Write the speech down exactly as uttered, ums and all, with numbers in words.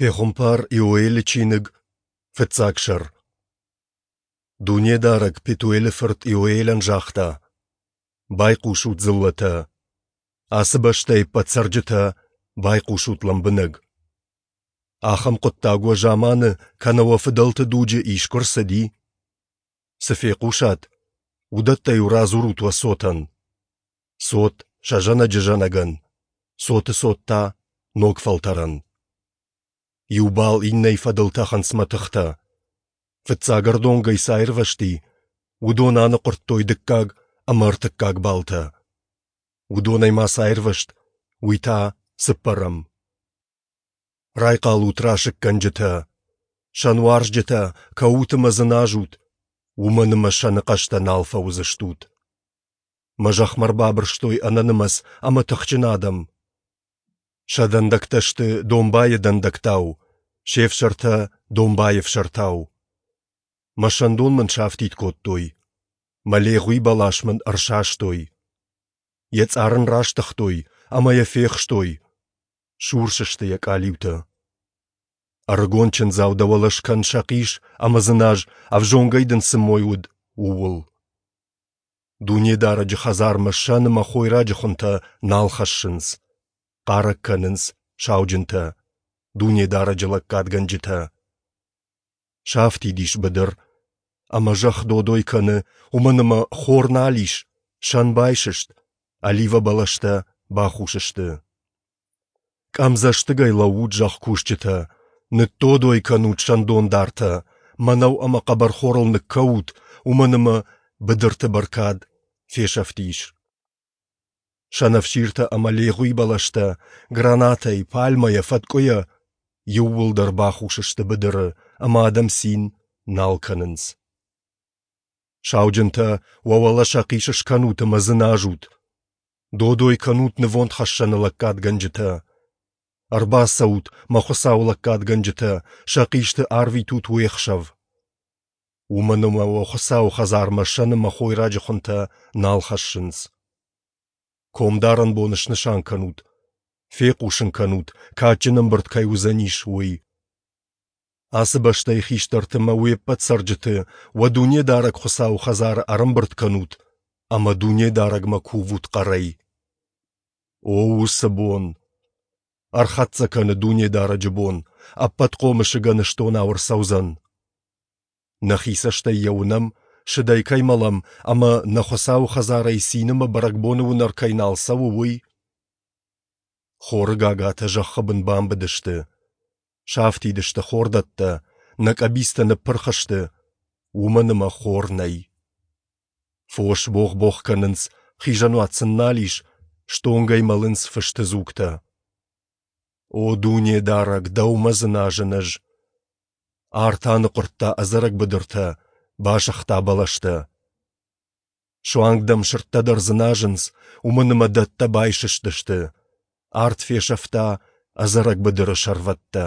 Пехуымпар Иоэлы чиныг, фыццаг сӕр. Дунедарӕг Петуэлы фырт Иоэлӕн загъта: Байхъусут, дзыллӕтӕ! Ацы бӕстӕйы ӕппӕт цӕрджытӕ, байхъусут лӕмбынӕг! Ахӕм хъуыддаг уӕ заманы кӕнӕ уӕ фыдӕлты дуджы искуы рцыди? Цы фехъусат, уыдӕттӕ-иу радзурут уӕ цотӕн. Цот сӕ зӕнӕджы зӕнӕгӕн, цоты цот та ног фӕлтӕрӕн. Иу бал иннӕйы фӕдыл тӕхынц мӕтыхтӕ. Фыццаг ӕрдонгӕй цы аирвӕзти, уыдон аныхъуырдтой дыккаг ӕмӕ ӕртыккаг балтӕ. Уыдонӕй ма цы аирвӕзт, уый та цыппӕрӕм. Райхъал ут, расыггӕнджытӕ! Сӕнуарзджытӕ, кӕут ӕмӕ дзыназут, уымӕн ӕмӕ сӕны хъӕстӕ нал фӕуыдзыстут. Мӕ зӕхмӕ ӕрбабырстой ӕнӕнымӕц ӕмӕ тыхджын адӕм. Сӕ дӕндӕгтӕ сты домбайы дӕндӕгтау, се фсӕртӕ домбайы ӕфсӕртау. Мӕ сӕндон мын сафтид кодтой, мӕ легъуи бӕлас мын ӕрсастой. Йӕ цъар ын растыгътой ӕмӕ йӕ фехстой, сурс сты йӕ къалиутӕ. Ӕрыгон чындзау дӕ уӕлӕ скӕн сӕхъис ӕмӕ дзыназ, ӕвзонгӕй дын цы мой уыд, ууыл. Дунедарӕджы хӕдзармӕ сӕн ӕмӕ хойраджы хуынтӕ нал хӕссынц, хъарӕг кӕнынц сауджынтӕ, Дунедарӕджы лӕггадгӕнджытӕ. Сафтид ис быдыр, ӕмӕ зӕхх додой кӕны, уымӕн ӕмӕ хор нал ис, сӕн байсыст, оливӕ бӕлӕстӕ бахус сты. Къӕмдзӕстыгӕй лӕуут, зӕхкусджытӕ, ныддодой кӕнут сӕндондартӕ, мӕнӕу ӕмӕ хъӕбӕрхорыл ныккӕут, уымӕн ӕмӕ быдырты бӕркад фесӕфтис. Сӕнӕфсиртӕ ӕмӕ легъуи бӕлӕстӕ, гранатӕй, пальмӕйӕ, фӕткъуыйӕ иууылдӕр бахус сты быдыры, ӕмӕ адӕм цин нал кӕнынц. Сауджынтӕ, уӕ уӕлӕ сӕхъис скӕнут ӕмӕ дзыназут. Додой кӕнут нывондхӕссӕны лӕггадгӕнджытӕ. Ӕрбацӕут, мӕ Хуыцауы лӕггадгӕнджытӕ, сӕхъисты арвитут уе хсӕв. Уымӕн ӕмӕ уӕ Хуыцауы хӕдзармӕ сӕн ӕмӕ хойраджы хуынтӕ нал хӕссынц. Комдарӕн бон снысан кӕнут, фехъусын кӕнут, кадджын ӕмбырд кӕй уыдзӕнис, уый. Ацы бӕстӕйы хистӕрты ӕмӕ уе ппӕт цӕрджыты уӕ Дунедарӕг Хуыцауы хӕдзары ӕрӕмбырд кӕнут ӕмӕ Дунедарӕгмӕ кувут хъӕрӕй. О, уыцы бон! Ӕрхӕццӕ кӕны Дунедарӕджы бон, Ӕппӕтхъомысы гӕныстонау ӕрцӕудзӕн. Нӕхи цӕстӕй йӕ уынӕм, сыдӕй кӕй мӕлӕм ӕмӕ нӕ Хуыцауы хӕдзарӕй цин ӕмӕ бӕрӕгбоны уынӕр кӕй нал цӕуы, уый. Хоры гагатӕ зӕххы бын бамбыдысты, сафтид сты хордӕттӕ, нӕ къӕбицтӕ ныппырх сты, уымӕн ӕмӕ хор нӕй. Фос богъ-богъ кӕнынц, хизӕнуат сын нал ис, стонгӕй мӕлынц фысты дзугтӕ. О Дунедарӕг, дӕумӕ дзыназын ӕз! Арт аныхъуырдта ӕдзӕрӕг быдыртӕ, басыгъта бӕлӕстӕ. Суанг дӕм сырдтӕ дӕр дзыназынц, уымӕн ӕмӕ дӕттӕ байсыстысты, арт фесӕфта ӕдзӕрӕг быдыры сӕрвӕттӕ.